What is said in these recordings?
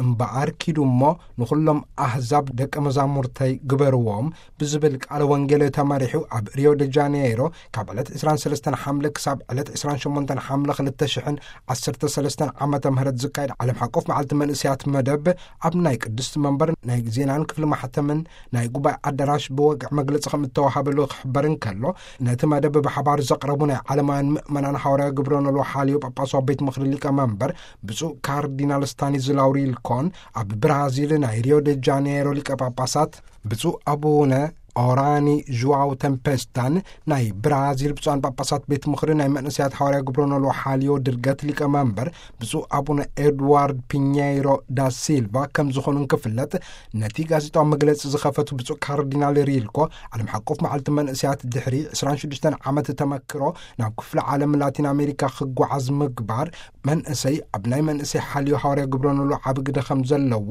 እምበኣር ኪዱ እሞ ንኹሎም ኣህዛብ ደቀ መዛሙርተይ ግበርዎም ብዝብል ቃለ ወንጌል ተመሪሑ ኣብ ሪዮ ደ ጃኔይሮ ካብ ዕለት ዕስራን ሰለስተን ሓምለ ክሳብ ዕለት ዕስራን ሸሞንተን ሓምለ ክልተ ሽሕን ዓሰርተ ሰለስተን ዓመተ ምህረት ዝካየድ ዓለም ሓቆፍ መዓልቲ መንእሰያት መደብ ኣብ ናይ ቅድስቲ መንበር ናይ ዜናን ክፍሊ ማሕተምን ናይ ጉባኤ ኣዳራሽ ብወግዒ መግለጺ ከም እተዋሃበሉ ክሕበር እንከሎ፣ ነቲ መደብ ብሓባር ዘቕረቡ ናይ ዓለማውያን ምእመናን ሓዋርያ ግብረ ኖልዎ ሓልዮ ጳጳሳዊ ቤት ምኽሪ ሊቀ መንበር ብፁዕ ካርዲናል ስታኒስላው ሪልኮን፣ ኣብ ብራዚል ናይ ሪዮ ደ ጃኔሮ ሊቀ ጳጳሳት ብፁዕ ኣቡነ ኦራኒ ዥዋው ተምፔስታን፣ ናይ ብራዚል ብፁዓን ጳጳሳት ቤት ምኽሪ ናይ መንእሰያት ሓዋርያ ግብረ ኖልዎ ሓልዮ ድርገት ሊቀ መንበር ብፁዕ ኣቡነ ኤድዋርድ ፒኘይሮ ዳ ሲልቫ ከም ዝኾኑ እንክፍለጥ፣ ነቲ ጋዜጣዊ መግለጺ ዝኸፈቱ ብፁዕ ካርዲናል ሪልኮ፣ ዓለም ሓቆፍ መዓልቲ መንእሰያት ድሕሪ ዕስራን ሽዱሽተን ዓመት ተመክሮ ናብ ክፍለ ዓለም ላቲን ኣሜሪካ ክጓዓዝ ምግባር፣ መንእሰይ ኣብ ናይ መንእሰይ ሓልዮ ሓዋርያ ግብረ ኖልዎ ዓቢ ግደ ከም ዘለዎ፣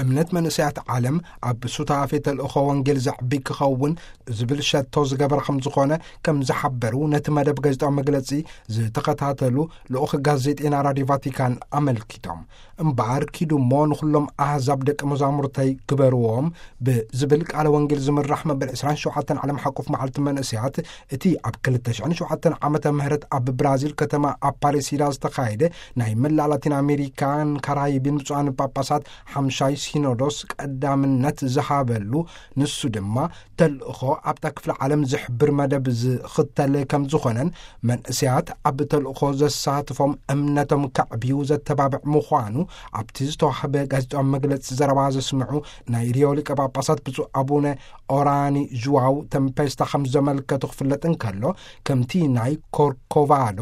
እምነት መንእሰያት ዓለም ኣብ ሱታፌ ተልእኾ ወንጌል ዘዕቢ ክኸውን ዝብል ሸቶ ዝገበረ ከም ዝኾነ ከም ዝሓበሩ ነቲ መደብ ጋዜጣዊ መግለጺ ዝተኸታተሉ ልኡኽ ጋዜጤና ራድዮ ቫቲካን ኣመልኪቶም። እምበኣር ኪዱ እሞ ንኹሎም ኣህዛብ ደቀ መዛሙርተይ ግበርዎም ብዝብል ቃለ ወንጌል ዝምራሕ መበል ዕስራን ሸውዓተን ዓለም ሓቆፍ መዓልቲ መንእሰያት፣ እቲ ኣብ ክልተ ሽሕን ሸውዓተን ዓመተ ምህረት ኣብ ብራዚል ከተማ ኣፓሬሲዳ ዝተኻየደ ናይ መላእ ላቲን ኣሜሪካን ካራይብን ብፁዓን ጳጳሳት ሓምሻይ ሲኖዶስ ቀዳምነት ዝሃበሉ፣ ንሱ ድማ ተልእኾ ኣብታ ክፍለ ዓለም ዝሕብር መደብ ዝኽተል ከም ዝኾነን፣ መንእሰያት ኣብ ተልእኾ ዘሳትፎም እምነቶም ከዕብዩ ዘተባብዕ ምዃኑ ኣብቲ ዝተዋህበ ጋዜጣዊ መግለጺ ዘረባ ዘስምዑ ናይ ሪዮ ሊቀ ጳጳሳት ብፁዕ ኣቡነ ኦራኒ ዥዋው ተምፔስታ ከም ዘመልከቱ ክፍለጥ እንከሎ፣ ከምቲ ናይ ኮርኮቫዶ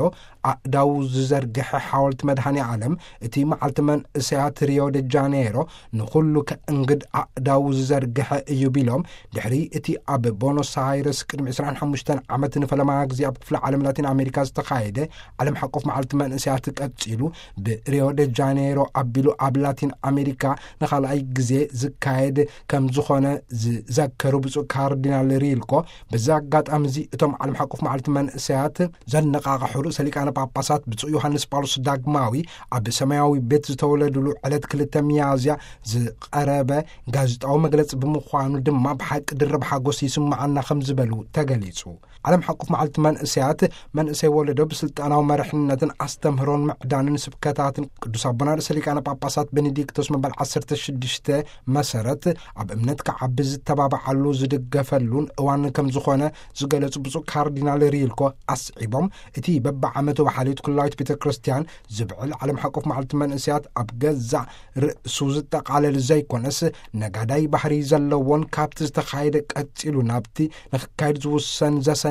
ኣእዳው ዝዘርግሐ ሓወልቲ መድኃኔ ዓለም፣ እቲ መዓልቲ መንእሰያት ሪዮ ደ ጃኔሮ ንኹሉ ከእንግድ ኣእዳው ዝዘርግሐ እዩ ቢሎም፣ ድሕሪ እቲ ኣብ ቦኖስ ኣይረስ ቅድሚ ዕስራን ሓሙሽተን ዓመት ንፈለማ ግዜ ኣብ ክፍለ ዓለም ላቲን ኣሜሪካ ዝተኻየደ ዓለም ሓቆፍ መዓልቲ መንእሰያት ቀጺሉ፣ ብሪዮ ደ ጃኔሮ ኣቢሉ ኣብ ላቲን ኣሜሪካ ንኻልኣይ ግዜ ዝካየድ ከም ዝኾነ ዝዘከሩ ብፁዕ ካርዲናል ሪልኮ፣ በዚ ኣጋጣሚ እዚ እቶም ዓለም ሓቆፍ መዓልቲ መንእሰያት ዘነቓቕሑ ርእሰ ሊቃነ ጳጳሳት ብፁዕ ዮሃንስ ጳውሎስ ዳግማዊ ኣብ ሰማያዊ ቤት ዝተወለዱሉ ዕለት ክልተ ሚያዝያ ዝቐረበ ጋዜጣዊ መግለጺ ብምዃኑ ድማ ብሓቂ ድርብ ሓጎስ ይስምዓና ከም ዝበሉ ተገሊጹ። ዓለም ሓቆፍ መዓልቲ መንእሰያት፣ መንእሰይ ወለዶ ብስልጣናዊ መርሕነትን ኣስተምህሮን ምዕዳንን ስብከታትን ቅዱስ ኣቦና ርእሰ ሊቃነ ጳጳሳት ቤኔዲክቶስ መበል ዓሰርተ ሽዱሽተ መሰረት ኣብ እምነት ክዓቢ ዝተባብዓሉ ዝድገፈሉን እዋን ከም ዝኾነ ዝገለጹ ብፁዕ ካርዲናል ሪልኮ ኣስዒቦም፣ እቲ በብዓመቱ ብሓልዮት ኩላዊት ቤተ ክርስቲያን ዝብዕል ዓለም ሓቆፍ መዓልቲ መንእሰያት ኣብ ገዛእ ርእሱ ዝጠቓለል ዘይኮነስ፣ ነጋዳይ ባህሪ ዘለዎን ካብቲ ዝተኻየደ ቀጺሉ ናብቲ ንኽካየድ ዝውሰን ዘሰኒ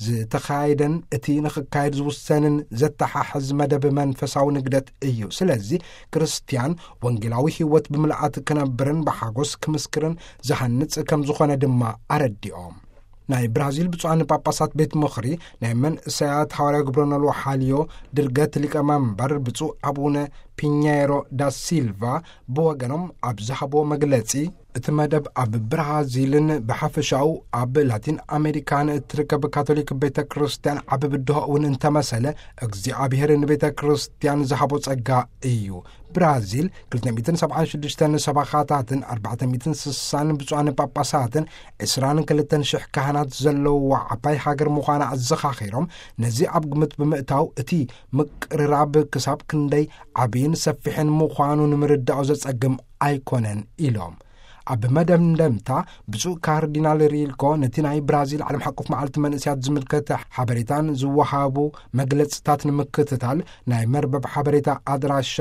ዝተኻየደን እቲ ንኽካየድ ዝውሰንን ዘተሓሕዝ መደብ መንፈሳዊ ንግደት እዩ። ስለዚ ክርስትያን ወንጌላዊ ህይወት ብምልኣት ክነብርን ብሓጎስ ክምስክርን ዝሃንጽ ከም ዝኾነ ድማ ኣረዲኦም። ናይ ብራዚል ብፁዓን ጳጳሳት ቤት ምኽሪ ናይ መንእሰያት ሓዋርያ ግብረ ኖልዎ ሓልዮ ድርገት ሊቀ መንበር ብፁዕ ኣቡነ ፒኘሮ ዳ ሲልቫ ብወገኖም ኣብ ዝሃብዎ መግለጺ፣ እቲ መደብ ኣብ ብራዚልን ብሓፈሻኡ ኣብ ላቲን ኣሜሪካን እትርከብ ካቶሊክ ቤተ ክርስቲያን ዓቢ ብድሆ እውን እንተመሰለ፣ እግዚኣብሔር ንቤተ ክርስቲያን ዝሃቦ ጸጋ እዩ። ብራዚል ክልተ ሚእትን ሰብዓን ሽዱሽተን ሰባኻታትን ኣርባዕተ ሚእትን ስሳን ብፁዓን ጳጳሳትን ዕስራን ክልተን ሽሕ ካህናት ዘለውዋ ዓባይ ሃገር ምዃና ኣዘኻኺሮም፣ ነዚ ኣብ ግምት ብምእታው እቲ ምቅርራብ ክሳብ ክንደይ ዓብይን ሰፊሕን ምዃኑ ንምርዳኦ ዘጸግም ኣይኮነን ኢሎም። ኣብ መደምደምታ ብፁዕ ካርዲናል ሪልኮ ነቲ ናይ ብራዚል ዓለም ሓቆፍ መዓልቲ መንእሰያት ዝምልከት ሓበሬታን ዝወሃቡ መግለጽታት ንምክትታል ናይ መርበብ ሓበሬታ ኣድራሻ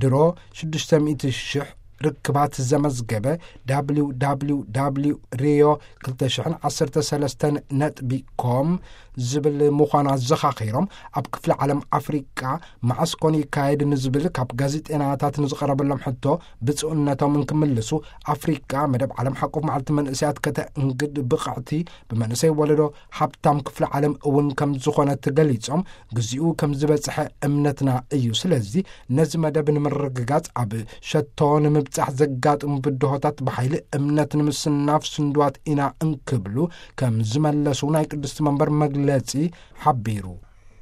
ድሮ ሽዱሽተ ሚእቲ ሽሕ ርክባት ዘመዝገበ ደብሊው ደብሊው ደብሊው ሪዮ ክልተ ሽሕን ዓሰርተ ሰለስተን ነጥቢ ኮም ዝብል ምዃኑ ኣዘኻኺሮም፣ ኣብ ክፍለ ዓለም ኣፍሪቃ መዓስ ኮን ይካየድ ንዝብል ካብ ጋዜጠናታት ንዝቐረበሎም ሕቶ ብፁዕነቶም እንክምልሱ፣ ኣፍሪቃ መደብ ዓለም ሓቆፍ መዓልቲ መንእሰያት ከተእንግድ ብቕዕቲ፣ ብመንእሰይ ወለዶ ሃብታም ክፍለ ዓለም እውን ከም ዝኾነት ገሊጾም፣ ግዚኡ ከም ዝበጽሐ እምነትና እዩ። ስለዚ ነዚ መደብ ንምርግጋጽ ኣብ ሸቶ ንምብጻሕ ዘጋጥሙ ብድሆታት ብሓይሊ እምነት ንምስናፍ ስንድዋት ኢና እንክብሉ ከም ዝመለሱ ናይ ቅድስቲ መንበር መግለጺ ሓቢሩ።